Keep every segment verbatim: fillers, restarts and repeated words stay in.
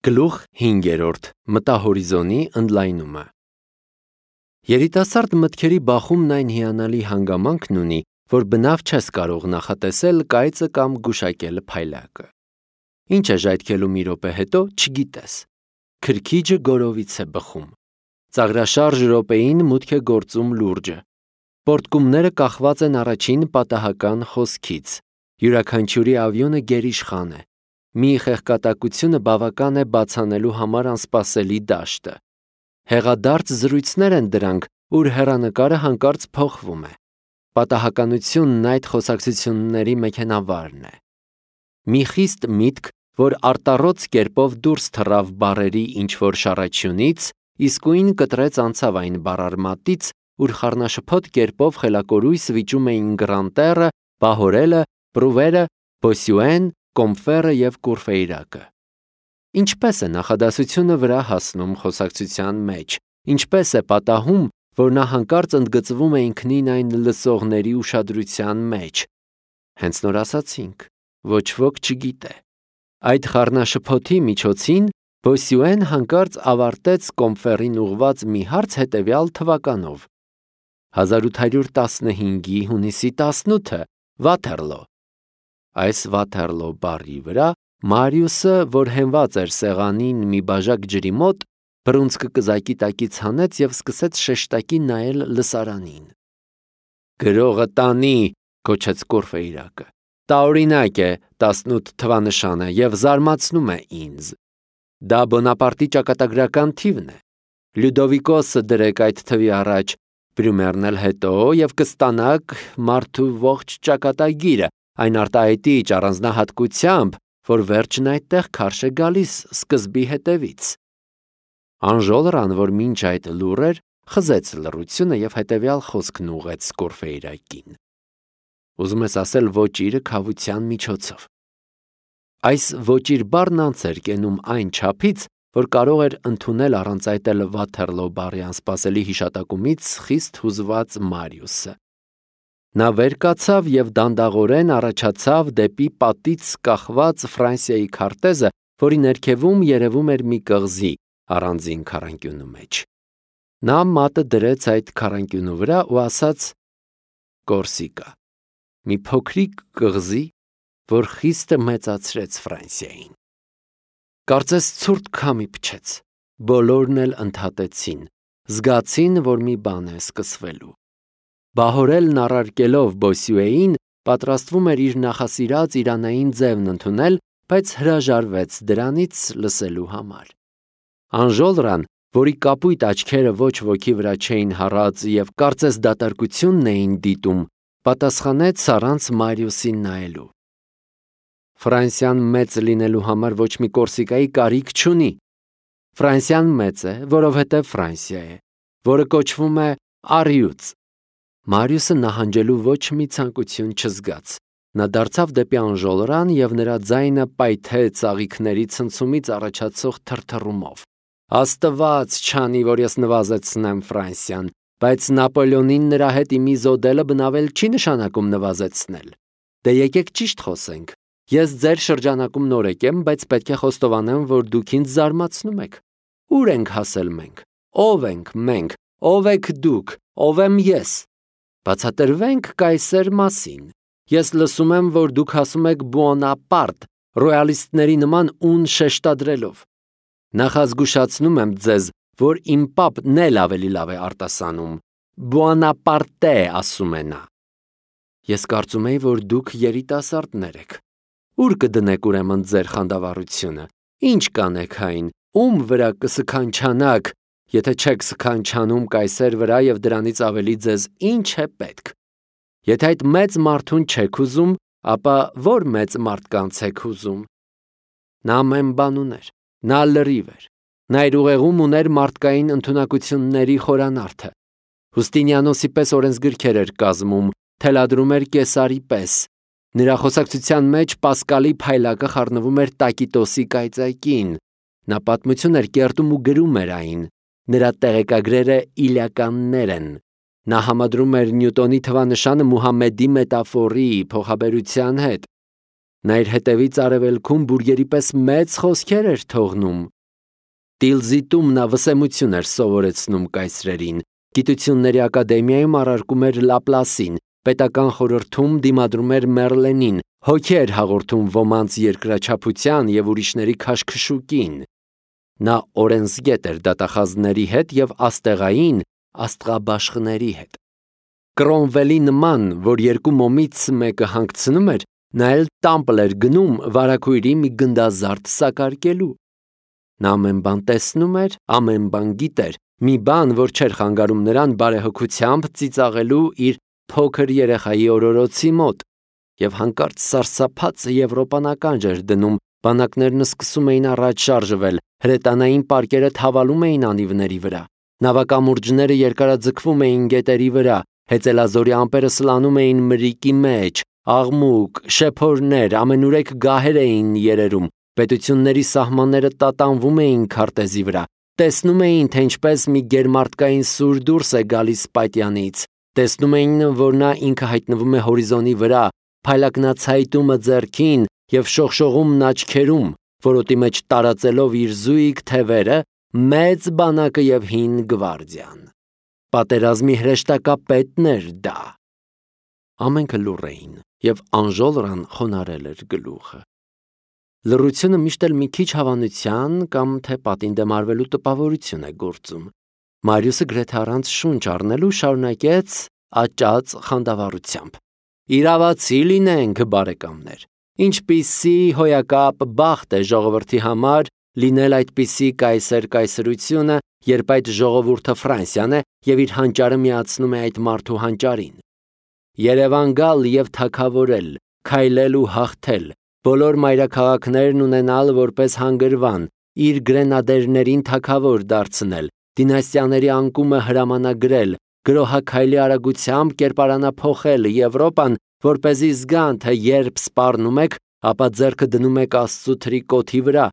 Գլուխ հինգերորդ. Մտահորիզոնի ընդլայնումը։ Երիտասարդ մտքերի բախումն այն հիանալի հանգամանքն ունի, որ բնավ չես կարող նախատեսել կայծը կամ գուշակել փայլակը։ Ինչ է ժայթքելու մի րոպե հետո, չգիտես։ Քրքիջը գորովից է բխում։ Ծաղրաշարժ րոպեին մուտք է գործում լուրջը։ Պորտկումները կախված են առաջին պատահական խոսքից։ Յուրաքանչյուրի ավյունը գերիշխան է։ Մի խեղկատակությունը բավական է բացանելու համար անսպասելի դաշտը։ Հեղադարձ զրույցներ են դրանք, ուր հեռանկարը հանկարծ փոխվում է։ Պատահականությունն այդ խոսակցությունների մեքենավարն է։ Մի խիստ միտք, որ արտառոց կերպով դուրս թռավ բառերի ինչ-որ շարաչյունից, իսկույն կտրեց անցավ այն բառարմատից, ուր խառնաշփոթ կերպով խելակորույս վիճում էին Գրանտերը, Պահորելը, Պրուվերը, Բոսյուեն, Կոմֆերը և Կուրֆեյրակը։ Ինչպես է նախադասությունը վրա հասնում խոսակցության մեջ, ինչպես է պատահում, որ նա հանկարծ ընդգծվում է ինքնին այն լսողների ուշադրության մեջ։ Հենց նոր ասացինք, ոչ ոք չգիտե։ Այդ խառնաշփոթի միջոցին Բոսյուեն հանկարծ ավարտեց Կոմֆերին ուղղված մի հարց հետևյալ թվականով. հազար ութ հարյուր տասնհինգի հունիսի տասնութը, Վաթերլո։ Այս Վաթերլո բառի վրա Մարիուսը, որ հենված էր սեղանին մի բաժակ ջրի մոտ, բռունցքը կզակի տակից հանեց և սկսեց շեշտակի նայել լսարանին։ Գրողը տանի, գոչեց Կուրֆեյրակը։ Տարօրինակ է, տասնութ թվանշանը և զարմացնում է ինձ։ Դա Բոնապարտի ճակատագրական թիվն է։ Լյուդովիկոսը դրեք այդ թվի առաջ, Բրյումերն էլ հետո և կստանաք մարդու ողջ ճակատագիրը, այն արտահայտիչ առանձնահատկությամբ, որ վերջն այդտեղ քարշ է գալիս սկզբի հետևից։ Անժոլրան, որ մինչ այդ լուռ էր, խզեց լռությունը և հետևյալ խոսքն ուղղեց Կուրֆեյրակին. Ուզում ես ասել ոճիրը քավության միջոցով։ Այս ոճիր բառն անց էր կենում այն չափից, որ կարող էր ընդունել առանց այդ էլ Վաթերլո բառի անսպասելի հիշատակումից խիստ հուզված Մարիուսը։ Նա վեր կացավ և դանդաղորեն առաջացավ դեպի պատից կախված Ֆրանսիայի քարտեզը, որի ներքևում երևում էր մի կղզի առանձին քառանկյունու մեջ։ Նա մատը դրեց այդ քառանկյունու վրա ու ասաց. Կորսիկա, մի փոքրիկ կղզի, որ խիստ մեծացրեց Ֆրանսիային։ Կարծես ցուրտ քամի փչեց, բոլորն էլ ընդհատեցին, զգացին, որ մի բան է սկսվելու։ Բահորելն առարկելով Բոսյուեին, պատրաստվում էր իր նախասիրած իրանային ձևն ընդունել, բայց հրաժարվեց դրանից լսելու համար։ Անժոլրան, որի կապույտ աչքերը ոչ ոքի վրա չէին հառած և կարծես դատարկությունն էին դիտում, պատասխանեց առանց Մարիուսին նայելու. Ֆրանսիան մեծ լինելու համար ոչ մի Կորսիկայի կարիք չունի։ Ֆրանսիան մեծ է, որովհետև Ֆրանսիա է, որը կոչվում է առյուծ։ Մարիուսը նահանջելու ոչ մի ցանկություն չզգաց։ Նա դարձավ դեպի Անժոլրան և նրա ձայնը պայթեց ծաղիկների ցնցումից առաջացող թրթռումով։ Աստված չանի, որ ես նվազեցնեմ Ֆրանսիան, բայց Նապոլեոնին նրա հետ իմի զոդելը բնավել չի նշանակում նվազեցնել։ Դե եկեք ճիշտ խոսենք։ Ես ձեր շրջանակում նորեկ եմ, բայց պետք է խոստովանեմ, որ դուք ինձ զարմացնում եք։ Ուր ենք հասել մենք։ Ո՞վ ենք մենք։ Ո՞վ եք դուք։ Ո՞վ եմ ես։ Բացատրվենք կայսեր մասին։ Ես լսում եմ, որ դուք ասում եք Բուոնապարտ, ռոյալիստների նման ուն շեշտադրելով։ Նախազգուշացնում եմ ձեզ, որ իմ պապն էլ ավելի լավ է արտասանում։ Բուոնապարտե ասում է նա։ Ես կարծում էի, որ դուք երիտասարդներ եք։ Ուր կդնեք ուրեմն ձեր խանդավառությունը։ Ինչ կանեք այն, ում վրա կսքանչանաք, եթե չեք սքանչանում կայսեր վրա և դրանից ավելի ձեզ ինչ է պետք։ Եթե այդ մեծ մարդուն չեք ուզում, ապա ո՞ր մեծ մարդկանց եք ուզում։ Նա ամեն բան ուներ, նա լրիվ էր, նա իր ուղեղում ուներ մարդկային ընդունակությունների խորանարդը։ Հուստինիանոսի պես օրենսգրքեր էր կազմում, թելադրում էր Կեսարի պես։ Նրա խոսակցության մեջ Պասկալի փայլակը խառնվում էր Տակիտոսի կայծակին։ Նա պատմություն էր կերտում ու գրում էր այն։ Նրա տեղեկագրերը իլիականներ են։ Նա համադրում էր Նյուտոնի թվանշանը Մուհամեդի մետաֆորի, փոխաբերության հետ։ Նա իր հետևից արևելքում բուրգերի պես մեծ խոսքեր էր թողնում։ Տիլզիտում նա վսեմություն էր սովորեցնում կայսրերին, գիտությունների ակադեմիայում առարկում էր Լապլասին, պետական խորհրդում դիմադրում էր Մերլենին, հոգի էր հաղորդում ոմանց երկրաչափության և ուրիշների քաշքշուկին։ Նա օրենսգետ էր դատախազների հետ և աստեղային աստղաբաշխների հետ։ Կրոմվելի նման, որ երկու մոմից մեկը հանգցնում էր, նա էլ տամբլ էր գնում վարագույրի մի գնդազարդ սակարկելու։ Նա ամեն բան տեսնում էր, ամեն բան գիտեր, մի բան, որ չէր խանգարում նրան բարեհոգությամբ ծիծաղելու իր փոքր երեխայի օրորոցի մոտ, և հանկարծ սարսափած եվրոպանականջ էր դնում, բանակներն սկսում էին առաջ շարժվել, հրետանային պարկերը թավալում էին անիվների վրա, նավակամուրջները երկարաձգվում էին գետերի վրա, հեծելազորի ամպերը սլանում էին մրրիկի մեջ, աղմուկ, շեփորներ, ամենուրեք գահեր էին երերում, պետությունների սահմանները տատանվում էին քարտեզի վրա, տեսնում էին, թե ինչպես մի գերմարտկային սուր դուրս է գալիս պատյանից, տեսնում էին, որ նա ինքը հայտնվում է հորիզոնի վրա, փայլակնացայտումը ձեռքին և շողշողումն աչքերում, որոտի մեջ տարածելով իր զույգ թևերը, մեծ բանակը և հին գվարդիան։ Պատերազմի հրեշտակապետն էր դա։ Ամենքը լուռ էին, և Անժոլրան խոնարհել էր գլուխը։ Լռությունը միշտ էլ մի քիչ հավանության կամ թե պատին դեմ արվելու տպավորություն է գործում։ Մարիուսը գրեթե առանց շունչ առնելու շարունակեց աճած խանդավառությամբ. «Իրավացի լինենք, բարեկամներ, ինչպիսի հոյակապ բախտ է ժողովրդի համար լինել այդպիսի կայսեր-կայսրությունը, երբ այդ ժողովուրդը Ֆրանսիան է և իր հանճարը միացնում է այդ մարդու հանճարին։ Երևան գալ և թագավորել, քայլել ու հաղթել, բոլոր մայրաքաղաքներն ունենալ որպես հանգրվան, իր գրենադերներին թագավոր դարձնել, դինաստիաների անկումը հրամանագրել, գրոհաքայլի արագությամբ կերպարանափոխել Եվրոպան, որպեսզի զգան, թե երբ սպառնում եք, ապա ձեռքը դնում եք Աստծու թրիկոթի վրա,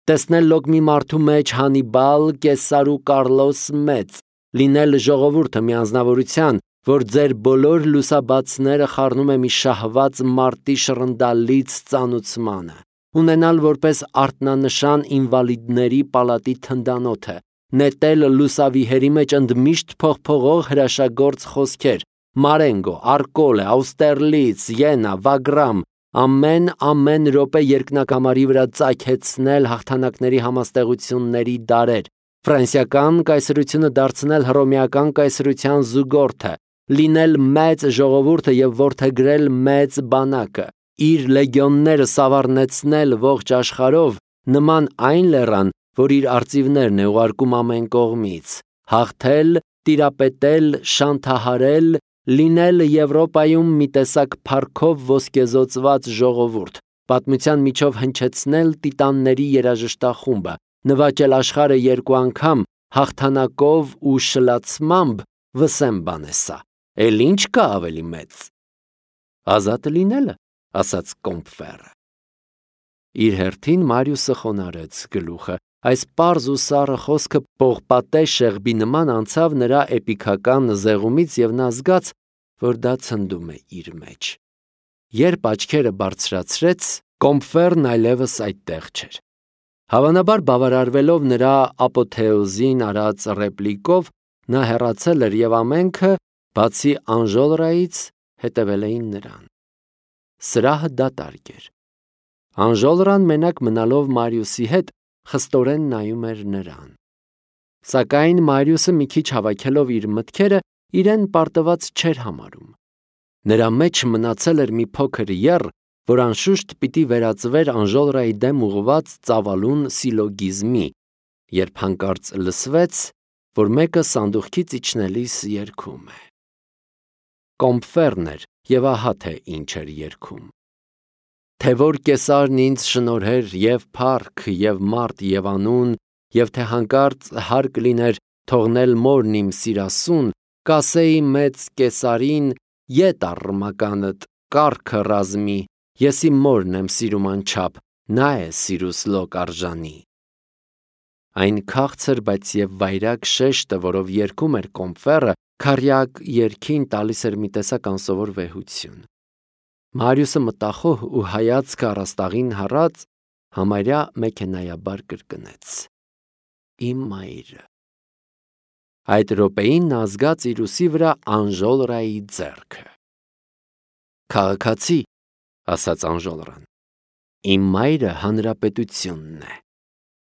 տեսնել լոկ մի մարդու մեջ Հանիբալ, Կեսար ու Կարլոս մեծ, լինել ժողովուրդը մի անձնավորության, որ ձեր բոլոր լուսաբացները խառնում է մի շահված մարտի շռնդալից ծանուցմանը, ունենալ որպես արտնանշան ինվալիդների պալատի թնդանոթը, նետել լուսավիհերի մեջ ընդմիշտ փողփողող հրաշագործ խոսքեր, Մարենգո, Արկոլե, Աուստերլից, Յենա, Վագրամ, ամեն ամեն րոպե երկնակամարի վրա ծագեցնել հաղթանակների համաստեղությունների դարեր, ֆրանսիական կայսրությունը դարձնել հռոմեական կայսրության զուգորդը, լինել մեծ ժողովուրդը և որդեգրել մեծ բանակը, իր լեգիոնները սավառնեցնել ողջ աշխարհով, նման այն լեռան, որ իր արծիվներն է ուղարկում ամեն կողմից, հաղթել, տիրապետել, շանթահարել, լինել Եվրոպայում մի տեսակ փառքով ոսկեզօծված ժողովուրդ, պատմության միջով հնչեցնել տիտանների երաժշտախումբը, նվաճել աշխարհը երկու անգամ, հաղթանակով ու շլացմամբ, վսեմ բան է սա, էլ ինչ կա ավելի մեծ։ Ազատ լինելը, ասաց Կոմբֆերը։ Իր հերթին Մարիուսը խոնարհեց գլուխը, այս պարզ ու սառը խոսքը պողպատե շեղբի նման անցավ նրա էպիքական զեղումից և նա զգաց, որ դա ցնդում է իր մեջ։ Երբ աչքերը բարձրացրեց, Կոմբֆերն այլևս այդտեղ չէր։ Հավանաբար բավարարվելով նրա ապոթեոզին արած ռեպլիկով, նա հեռացել էր և ամենքը, բացի Անժոլրայից, հետևել էին նրան։ Սրահը դատարկ էր։ Անժոլրան մենակ մնալով Մարիուսի հետ խստորեն նայում էր նրան։ Սակայն Մարիուսը մի քիչ հավաքելով իր մտքերը, իրեն պարտված չէր համարում։ Նրա մեջ մնացել էր մի փոքր եռ, որ անշուշտ պիտի վերածվեր Անժոլրայի դեմ ուղղված ծավալուն սիլոգիզմի, երբ հանկարծ լսվեց, որ մեկը սանդուղքից իջնելիս երգում է։ Կոմբֆերն էր և ահա թե ինչ էր երգում. Թե որ կեսարն ինձ շնորհեր և փառք, և մարդ, և անուն, և թե հանկարծ հարկ լիներ թողնել մորն իմ սիրասուն, կասեի մեծ կեսարին, ետ առ մականդ, կառքը ռազմի, ես իմ մորն եմ սիրում անչափ, նա է սիրուս լոկ արժանի։ Այն քաղցր, բայց և վայրագ շեշտը, որով երգում էր Կոմբֆերը, քառյակ երգին տալիս էր մի տեսակ անսովոր վեհություն։ Մարիուսը մտախոհ ու հայացքը առաստաղին հառած համարյա մեքենայաբար կրկնեց. Իմ մայրը։ Այդ րոպեին նա զգաց իր ուսի վրա Անժոլրայի ձեռքը։ Քաղաքացի, ասաց Անժոլրան, իմ մայրը հանրապետությունն է։